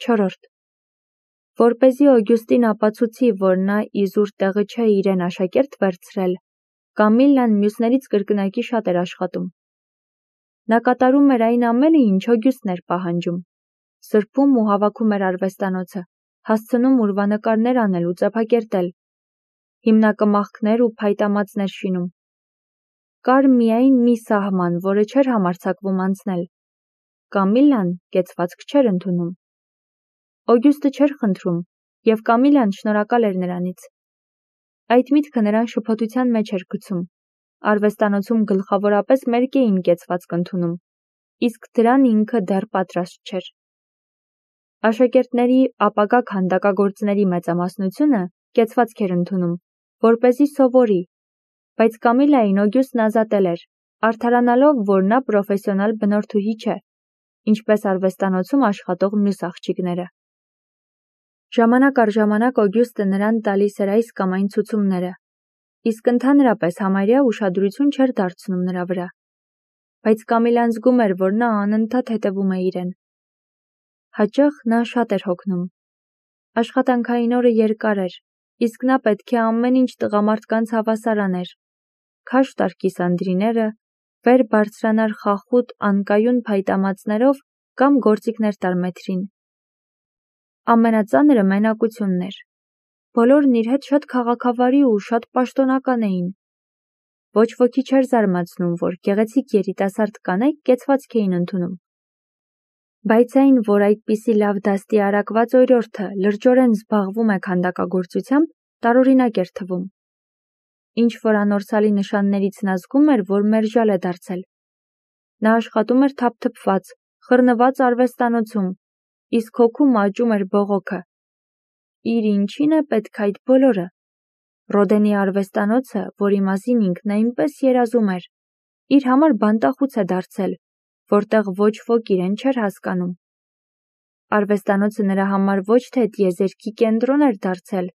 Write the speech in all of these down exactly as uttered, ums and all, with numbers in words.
Չորրորդ. Որպեսզի Օգյուստին ապացուցի, որ նա իզուր տեղը չէ իրեն աշակերտ վերցրել, Կամիլլան մյուսներից կրկնակի շատ էր աշխատում։ Նա կատարում էր այն ամենը, ինչ Օգյուստն էր պահանջում, սրբում ու հավաքում էր արվեստանոցը, հասցնում ուրվանկարներ անել ու ծեփակերտել, հիմնակմախքներ ու փայտամածներ շինում։ Կար միայն մի սահման, որը չէր համարձակվում անցնել։ Կամիլլան կեցվածք չէր ընդունում։ Օգյուստը չէր խնդրում, և Կամիլլան շնորհակալ էր նրանից։ Այդ միտքը նրան շփոթության մեջ էր գցում։ Արվեստանոցում գլխավորապես մերկ էին կեցվածք ընդունում, իսկ դրան ինքը դեռ պատրաստ չէր։ Աշակերտների ապագա քանդակագործների մեծամասնությունը կեցվածք էր ընդունում, որպեսզի սովորի, բայց Կամիլլային Օգյուստն ազատել էր, արդարանալով, որ նա պրոֆեսիոնալ բնորդուհի չէ, ինչպես արվեստանոցում աշխատող մյուս աղջիկները։ Ժամանակ առ ժամանակ Օգյուստը նրան տալիս էր այս կամ այն ցուցումները, իսկ ընդհանրապես համարյա ուշադրություն չէր դարձնում նրա վրա։ Բայց Կամիլլան զգում էր, որ նա անընդհատ հետևում է իրեն։ Հաճախ նա շատ էր հոգնում։ Աշխատանքային օրը երկար էր, իսկ նա պետք է ամեն ինչ տղամարդկանց հավասար աներ։ Քաշ տար կիսանդրիները, վեր բարձրանար խախուտ անկայուն փայտամածներով կամ գործիքներ տար մեթրին։ Ամենածանրը մենակությունն էր։ Բոլորն իր հետ շատ քաղաքավարի ու շատ պաշտոնական էին։ Ոչ ոքի չէր զարմացնում, որ գեղեցիկ երիտասարդ կանայք կեցվածք էին ընդունում։ Բայց այն, որ այդպիսի լավ դաստի արակված օրիորդը լրջորեն զբաղվում է քանդակագործությամբ, տարօրինակ էր թվում։ Ինչ որ անորսալի նշաններից նա զգում էր, որ մերժալ է դարձել։ Նա աշխատում էր թափթփված, խռնված արվեստանոցում, իսկ հոգում աճում էր բողոքը։ Իր ինչին է պետք այդ բոլորը։ Ռոդենի արվեստանոցը, որի մասին ինքն այնպես երազում էր, իր համար բանտախուց է դարձել, որտեղ ոչ ոք իրեն չէր հասկանում։ Արվեստանոցը նրա համար ոչ թե տիեզերքի կենտրոն էր դարձել,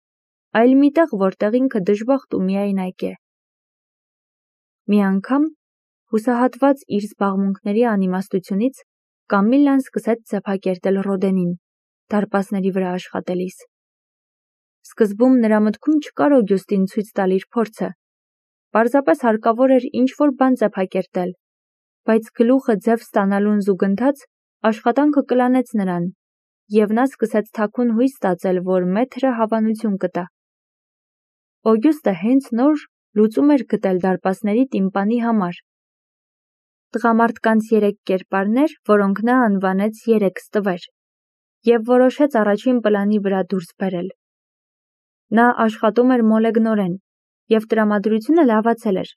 այլ մի տեղ, որտեղ ինքը դժբախտ ու միայնակ է։ Մի անգամ, հուսահատված իր զբաղմունքների անիմաստությունից, Կամիլլան սկսեց ծեփակերտել Ռոդենին, դարպասների վրա աշխատելիս։ Սկզբում նրա մտքում չկար Օգյուստին ցույց տալ իր փորձը։ Պարզապես հարկավոր էր ինչ-որ բան ծեփակերտել, բայց գլուխը ձև ստանալուն զուգընթաց աշխատանքը կլանեց նրան, և նա սկսեց թաքուն հույս ստացել, որ մեթրը հավանություն կտա։ Օգյուստը հենց նոր լուծում էր գտել դարպասների տիմպանի համար։ Տղամարդկանց երեք կերպարներ, որոնք նա անվանեց երեք ստվեր, և որոշեց առաջին պլանի վրա դուրս բերել։ Նա աշխատում էր մոլեգնորեն, և տրամադրությունը լավացել էր։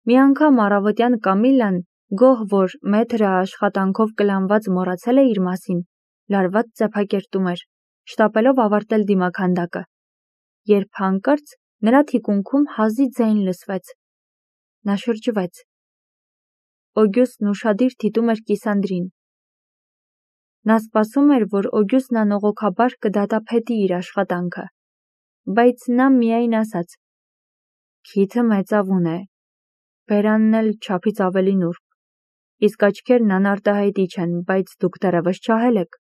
Մի անգամ առավոտյան Կամիլլան, գոհ, որ մեթրը աշխատանքով կլանված մոռացել է իր մասին, լարված ծեփակերտում էր, շտապելով ավարտել դիմաքանդակը, երբ հանկարծ նրա թիկունքում հազի ձայն լսվեց։ Նա շրջվեց։ Օգյուստն ուշադիր դիտում էր կիսանդրին։ Նա սպասում էր, որ Օգյուստն անողոքաբար կդատապետի իր աշխատանքը, բայց նա միայն ասաց. «Քիթը մեծավուն է, բերանն էլ չափից ավելի նուրբ, իսկ աչքերն անարտահայտիչ են, բայց դուք դեռևս չահել եք։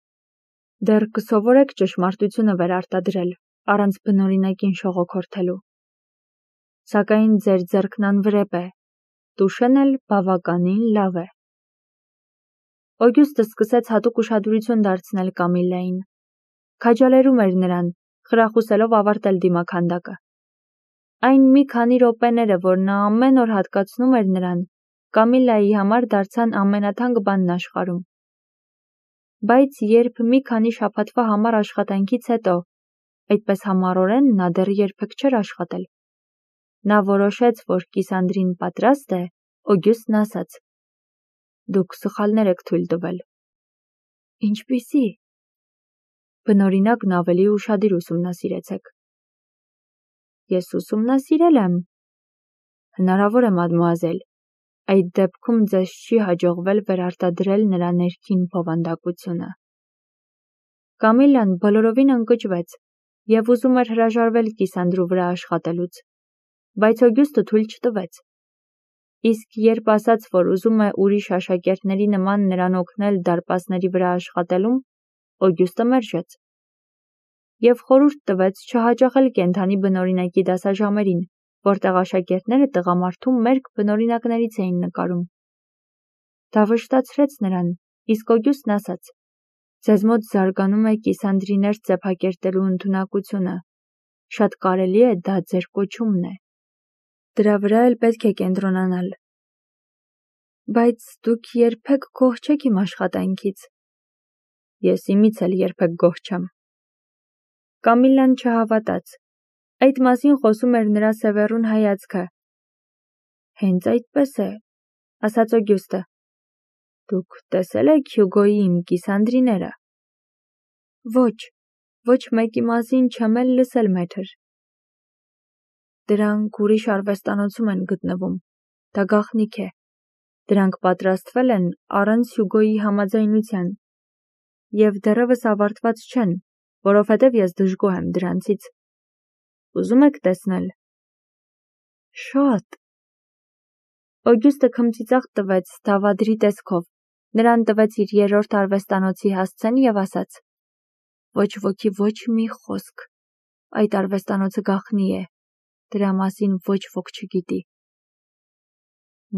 Դեռ կսովորեք ճշմարտությունը վերարտադրել, առանց բնօրինակին շողոքորթելու։ Սակայն ձեր ձեռքն անվրեպ է, տուշեն էլ բավականին լավ է»։ Օգյուստը սկսեց հատուկ ուշադրություն դարձնել Կամիլլային։ Քաջալերում էր նրան, խրախուսելով ավարտել դիմաքանդակը։ Այն մի քանի րոպեները, որ նա ամեն օր հատկացնում էր նրան, Կամիլլայի համար դարձան ամենաթանկ բանն աշխարհում։ Բայց երբ մի քանի շաբաթվա համար աշխատանքից հետո, այդպես համառորեն նա դեռ երբեք չէր աշխատել, նա որոշեց, որ կիսանդրին պատրաստ է, Օգյուստն ասաց. «Դուք սխալներ եք թույլ տվել»։ Ինչպիսի՞։ Բնօրինակն ավելի ուշադիր ուսումնասիրեցեք։ Ես ուսումնասիրել եմ։ Հնարավոր է, մադմուազել, այդ դեպքում ձեզ չի հաջողվել վերարտադրել նրա ներքին բովանդակությունը։ Կամիլլան բոլորովին ընկճվեց և ուզում էր հրաժարվել կիսանդրու վրա աշխատելուց, բայց Օգյուստը թույլ չտվեց։ Իսկ երբ ասաց, որ ուզում է ուրիշ աշակերտների նման նրան օգնել դարպասների վրա աշխատելում, Օգյուստը մերժեց և խորհուրդ տվեց չհաճախել կենդանի բնօրինակի դասաժամերին, որտեղ աշակերտները տղամարդու մերկ բնօրինակներից էին նկարում։ Դա վշտացրեց նրան, իսկ Օգյուստն ասաց. «Ձեզ մոտ զարգանում է կիսանդրիներ ծեփակերտելու ընդունակությունը, շատ կարելի է դա ձեր կոչումն է։ Դրա վրա էլ պետք է կենտրոնանալ։ Բայց դուք երբեք գոհ չեք իմ աշխատանքից»։ Ես իմից էլ երբեք գոհ չեմ։ Կամիլլան չհավատաց։ Այդ մասին խոսում էր նրա սևեռուն հայացքը։ Հենց այդպես է, ասաց Օգյուստը։ Դուք տեսել եք Հյուգոյի իմ կիսանդրիները։ Ոչ, ոչ մեկի մասին չեմ էլ լսել, մեթր։ Դրանք ուրիշ արվեստանոցում են գտնվում։ Դա գաղտնիք է։ Դրանք պատրաստվել են առանց Հյուգոյի համաձայնության և դեռևս ավարտված չեն, որովհետև ես դժգոհ եմ դրանցից։ Ուզում եք տեսնել։ Շատ։ Օգյուստը քմծիծաղ տվեց դավադրի տեսքով, նրան տվեց իր երրորդ արվեստանոցի հասցեն և ասաց. Ոչ ոքի ոչ մի խոսք, այդ արվեստանոցը գաղտնի է, դրա մասին ոչ ոք չգիտի։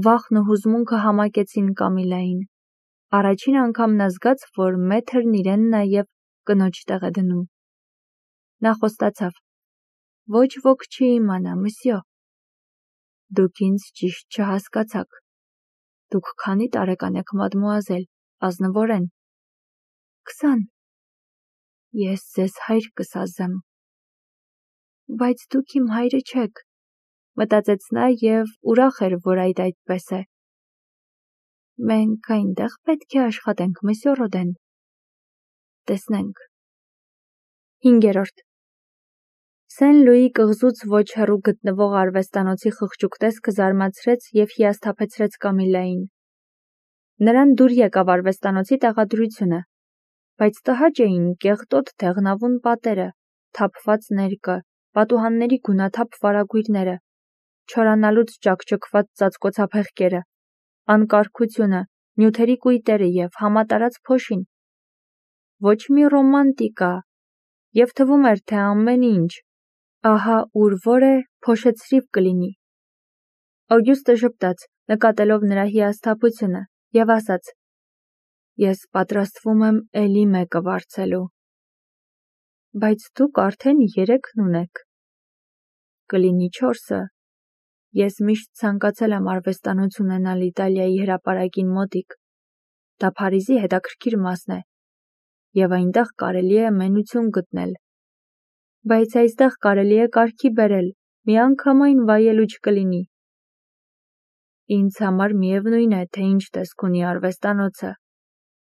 Վախն ու հուզմունքը համակեցին Կամիլային։ Առաջին անգամ նա զգաց, որ մեթրն իրեն նաև կնոջ տեղ է դնում։ Նա խոստացավ. Ոչ ոք չի իմանա, մսյո։ Դուք ինձ ճիշտ չհասկացաք։ Դուք քանի տարեկան եք, մադմուազել, ազնվորեն։ Քսան։ Ես ձեզ հայր կսազեմ։ Բայց դուք իմ հայրը չեք, մտածեց նա և ուրախ էր, որ այդ այդպես է։ Մենք այնտեղ պետք է աշխատենք, մսյո Ռոդեն։ Տեսնենք։ Հինգերորդ։ Սեն Լուի կղզուց ոչ հեռու գտնվող արվեստանոցի խղճուկ տեսքը զարմացրեց և հիասթափեցրեց Կամիլային։ Նրան դուր եկավ արվեստանոցի տեղադրությունը, բայց տհաճ էին կեղտոտ դեղնավուն պատերը, թափված ներկը, պատուհանների գունաթափ վարագույրները, չորանալուց ճաքճքված ծածկոցափեղկերը, անկարգությունը, նյութերի կույտերը և համատարած փոշին։ Ոչ մի ռոմանտիկա, և թվում էր, թե ամեն ինչ, ահա ուր որ է, փոշեցրիվ կլինի։ Օգյուստը ժպտաց, նկատելով նրա հիասթափությունը, և ասաց. Ես պատրաստվում եմ էլի մեկը վարձելու։ Բայց դուք արդեն երեքն ունեք։ Կլինի չորսը։ Ես միշտ ցանկացել եմ արվեստանոց ունենալ Իտալիայի հրապարակին մոտիկ։ Դա Փարիզի հետաքրքիր մասն է, և այնտեղ կարելի է մենություն գտնել։ Բայց այստեղ կարելի է կարգի բերել, միանգամայն վայելու չկլինի։ Ինձ համար միևնույն է, թե ինչ տեսք ունի արվեստանոցը։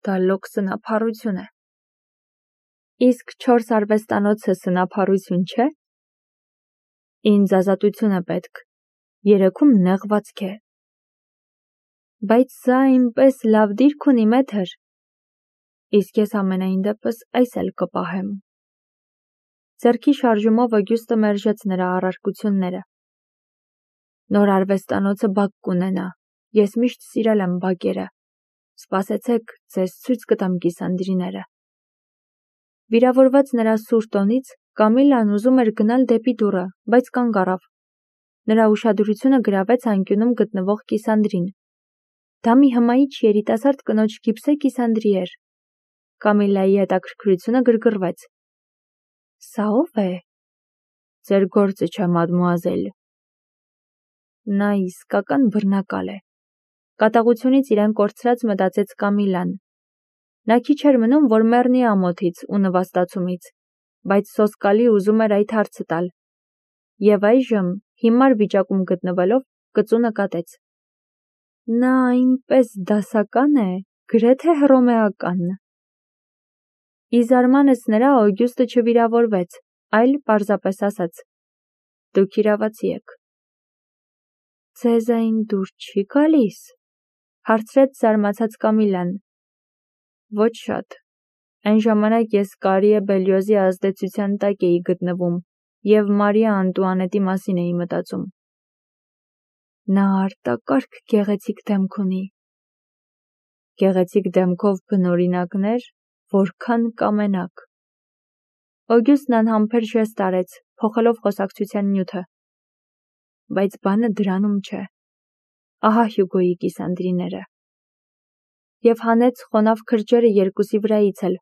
Դա լոկ սնափառություն է։ Իսկ չորս արվեստանոցը սնափառություն չէ։ Ինձ ազատություն է պետք։ Երեքում նեղվածք է։ Բայց սա այնպես լավ դիրք ունի, մեթր։ Իսկ ես ամենայն դեպս այս էլ կպահեմ։ Ձեռքի շարժումով Օգյուստը մերժեց նրա առարկությունները։ Նոր արվեստանոցը բակ կունենա։ Ես միշտ սիրել եմ բակերը։ Սպասեցեք, ձեզ ցույց կտամ կիսանդրիները։ Վիրավորված նրա սուր տոնից, Կամիլլան ուզում էր գնալ դեպի դուռը, բայց կանգ առավ։ Նրա ուշադրությունը գրավեց անկյունում գտնվող կիսանդրին։ Դա մի հմայիչ երիտասարդ կնոջ գիպսե կիսանդրի էր։ Կամիլլայի հետաքրքրությունը գրգռվեց։ Սա ո՞վ է։ Ձեր գործը չէ, մադմուազել։ Նա իսկական բռնակալ է։ Կատաղությունից իրեն կորցրած մտածեց Կամիլլան։ Նա քիչ էր մնում, որ մեռնի ամոթից ու նվաստացումից, բայց սոսկալի ուզում էր այդ հարցը տալ։ Եվ այժմ, հիմար վիճակում գտնվելով, կծու նկատեց։ Նա այնպես դասական է, գրեթե հռոմեական։ Ի զարմանս նրա Օգյուստը չվիրավորվեց, այլ պարզապես ասաց. Դուք իրավացի եք։ Ձեզ այն դուր չի գալիս, հարցրեց զարմացած Կամիլլան։ Ոչ շատ։ Այն ժամանակ ես Կարիե Բելյոզի ազդեցության տակ էի գտնվում և Մարիա Անտուանետի մասին էի մտածում։ Նա արտակարգ գեղեցիկ դեմք ունի։ Գեղեցիկ դեմքով բնօրինակներ, որքան կամենաք։ Օգյուստն անհամբեր ժեստ արեց, փոխելով խոսակցության նյութը։ Բայց բանը դրանում չէ։ Ահա Հյուգոյի կիսանդրիները։ Եվ հանեց խոնավ քրջերը երկուսի վրայից էլ։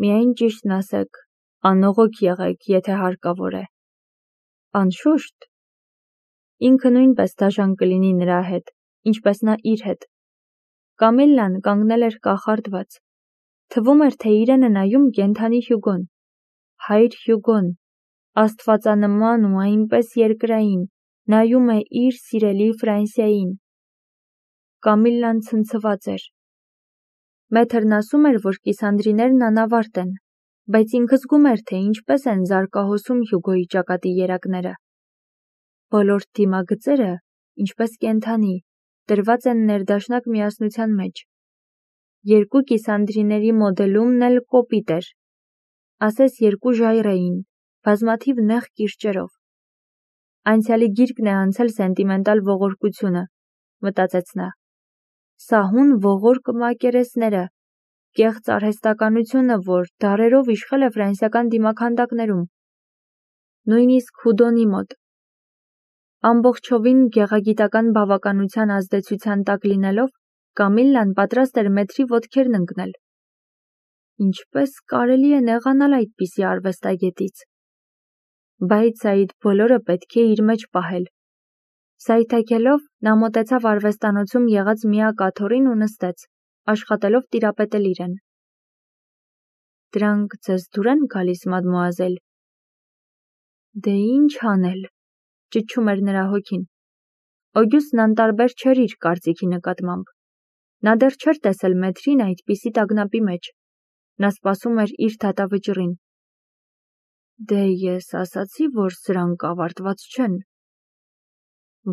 Միայն ճիշտն ասեք, անողոք եղեք, եթե հարկավոր է։ Անշուշտ։ Ինքը նույնպես դաժան կլինի նրա հետ, ինչպես նա իր հետ։ Կամիլլան կանգնել էր կախարդված։ Թվում էր, թե իրեն է նայում կենդանի Հյուգոն։ Հայր Հյուգոն, աստվածանման ու այնպես երկրային, նայում է իր սիրելի Ֆրանսիային։ Կամիլլան ցնցված էր։ Մեթրն ասում էր, որ կիսանդրիներն անավարտ են, բայց ինքը զգում էր, թե ինչպես են զարկահոսում Հյուգոյի ճակատի երակները։ Բոլոր դիմագծերը, ինչպես կենդանի, դրված են ներդաշնակ միասնության մեջ։ Երկու կիսանդրիների մոդելումն էլ կոպիտ էր։ Ասես երկու ժայռ էին, բազմաթիվ նեղ կիրճերով։ Անցյալի գիրկն է անցել սենտիմենտալ ողորկությունը, մտածեց նա։ Սահուն ողորկ մակերեսները, կեղծ արհեստականությունը, որ դարերով իշխել է ֆրանսիական դիմաքանդակներում։ Նույնիսկ Հուդոնի մոտ։ Ամբողջովին գեղագիտական բավականության ազդեցության տակ լինելով, Կամիլլան պատրաստ էր մեթրի ոտքերն ընկնել։ Ինչպես կարելի է նեղանալ այդպիսի արվեստագետից։ Բայց այդ բոլորը պետք է իր մեջ պահել։ Սայթաքելով նա մոտեցավ արվեստանոցում եղած միակ աթոռին ու նստեց, աշխատելով տիրապետել իրեն։ Դրանք ձեզ դուր են գալիս, մադմուազել։ Դե ինչ անել, ճչում էր նրա հոգին։ Օգյուստն անտարբեր չէր իր կարծիքի նկատմամբ։ Նա դեռ չէր տեսել մեթրին այդպիսի տագնապի մեջ։ Նա սպասում էր իր դատավճռին։ Դե ես ասացի, որ սրանք ավարտված չեն։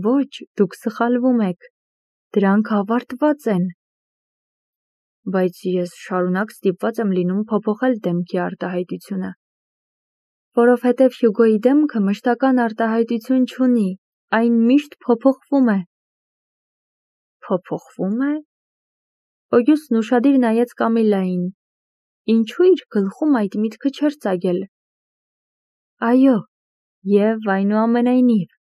Ոչ, դուք սխալվում եք։ Դրանք ավարտված են։ Բայց ես շարունակ ստիպված եմ լինում փոփոխել դեմքի արտահայտությունը։ Որովհետև Հյուգոյի դեմքը մշտական արտահայտություն չունի, այն միշտ փոփոխվում է։ Փոփոխվում է։ Օգյուստն ուշադիր նայեց Կամիլլային։ Ինչու իր գլխում այդ միտքը չէր ծագել։ Այո, եւ այնուամենայնիվ։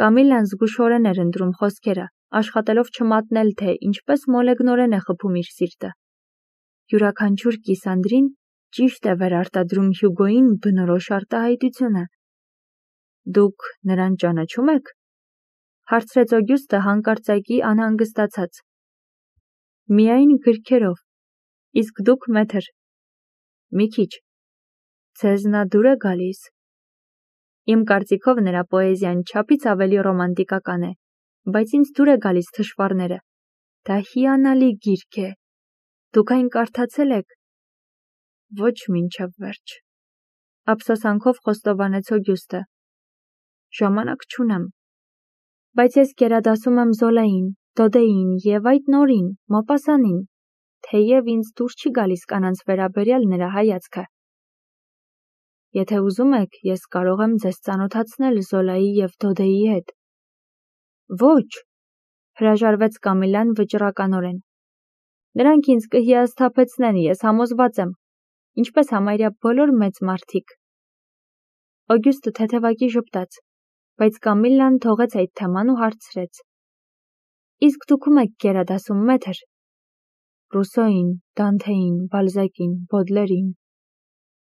Կամիլլան զգուշորեն էր ընտրում խոսքերը, աշխատելով չմատնել, թե ինչպես մոլեգնորեն է խփում իր սիրտը։ Յուրաքանչյուր կիսանդրին ճիշտ է վերարտադրում Հյուգոյին բնորոշ արտահայտությունը։ Դուք նրան ճանաչում եք։ Հարցրեց Օգյուստը հանկարծակի անհանգստացած։ Միայն գրքերով։ Իսկ դուք, մեթր։ Մի քիչ։ Ձեզ նա դուր է գալիս։ Իմ կարծիքով նրա պոեզիան չափից ավելի ռոմանտիկական է, բայց ինձ դուր է գալիս թշվառները։ Դա հիանալի գիրք է։ Դուք այն կարդացել եք։ Ոչ մինչև վերջ։ Ափսոսանքով խոստովանեց Օգյուստը։ Ժամանակ չունեմ։ Բայց ես գերադասում եմ Զոլային, Դոդեին և այդ նորին, Մոպասանին, թեև ինձ դուր չի գալիս կանանց վերաբերյալ նրա հայացքը։ Եթե ուզում եք, ես կարող եմ ձեզ ծանոթացնել Զոլայի և Դոդեի հետ։ Ոչ, հրաժարվեց Կամիլլան վճռականորեն։ Նրանք ինձ կհիասթափեցնեն, ես համոզված եմ, ինչպես համարյա բոլոր մեծ մարդիկ։ Օգյուստը թեթևակի ժպտաց, բայց Կամիլլան թողեց այդ թեման ու հարցրեց. Իսկ դուք ում եք գերադասում, մեթր։ Ռուսոյին, Դանթեին, Բալզակին, Բոդլերին։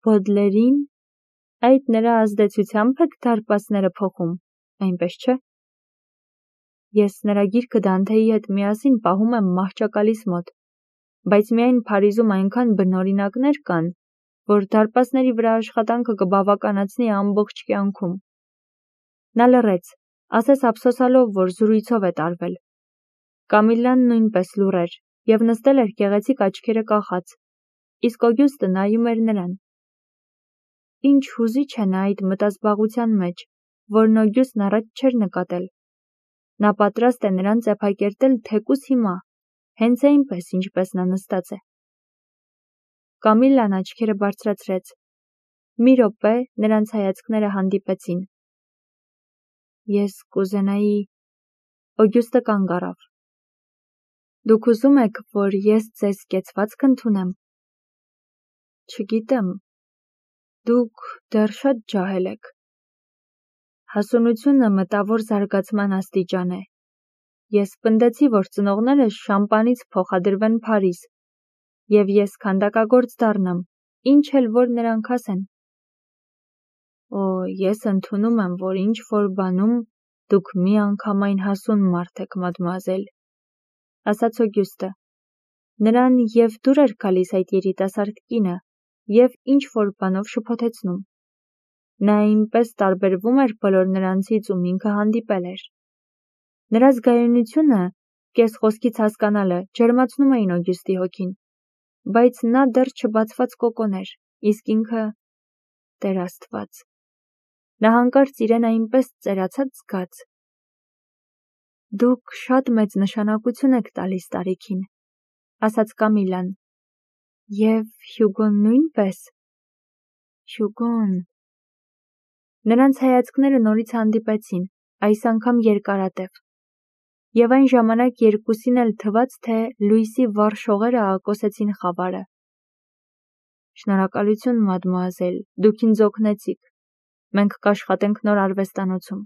Բոդլերին։ Այդ նրա ազդեցությամբ եք դարպասները փոխում, այնպես չէ։ Ես նրա գիրքը Դանթեի հետ միասին պահում եմ մահճակալիս մոտ, բայց միայն Փարիզում այնքան բնօրինակներ կան, որ դարպասների վրա աշխատանքը կբավականացնի ամբողջ կյանքում։ Նա լռեց, ասես ափսոսալով, որ զրույցով է տարվել։ Կամիլլան նույնպես լուռ էր և նստել էր գեղեցիկ աչքերը կախած, իսկ Օգյուստը նայում էր նրան։ Ինչ հուզիչ է նա այդ մտազբաղության մեջ, որն Օգյուստն առաջ չէր նկատել։ Նա պատրաստ է նրան ծեփակերտել թեկուզ հիմա, հենց այնպես, ինչպես նա նստած է։ Կամիլլան աչքերը բարձրացրեց։ Մի րոպե նրանց հայացքները հանդիպեցին։ Ես կուզենայի… Օգյուստը կանգ առավ։ Դուք ուզում եք, որ ես ձեզ կեցվածք ընդունեմ։ Չգիտեմ, դուք դեռ շատ ջահել եք։ Հասունությունը մտավոր զարգացման աստիճան է։ Ես պնդեցի, որ ծնողներս շամպանից փոխադրվեն Փարիզ, և ես քանդակագործ դառնամ, ինչ էլ որ նրանք ասեն։ Օ, ես ընդունում եմ, որ ինչ-որ բանում դուք միանգամայն հասուն մարդ եք, մադմուազել, ասաց Օգյուստը։ Նրան և դուր էր գալիս այդ երիտասարդ կինը և ինչ-որ բանով շփոթեցնում։ Նա այնպես տարբերվում էր բոլոր նրանցից, ում ինքը հանդիպել էր։ Նրա զգայունությունը, կես խոսքից հասկանալը, ջերմացնում էին Օգյուստի հոգին, բայց նա դեռ չբացված կոկոն էր, իսկ ինքը՝ Տեր Աստված։ Նա հանկարծ իրեն այնպես ծերացած զգաց։ Դուք շատ մեծ նշանակություն եք տալիս տարիքին, ասաց Կամիլան։ Եվ Հյուգոն նույնպես։ Հյուգոն… Նրանց հայացքները նորից հանդիպեցին, այս անգամ երկարատև։ Եվ այն ժամանակ երկուսին էլ թվաց, թե լույսի վառ շողերը աղակոսեցին խավարը։ Շնորհակալություն, մադմուազել, դուք ինձ օգնեցիք։ Մենք կաշխատենք նոր արվեստանոցում,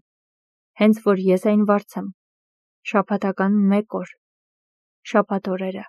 հենց որ ես այն վարձեմ։ Շաբաթական մեկ օր։ Շաբաթ օրերը։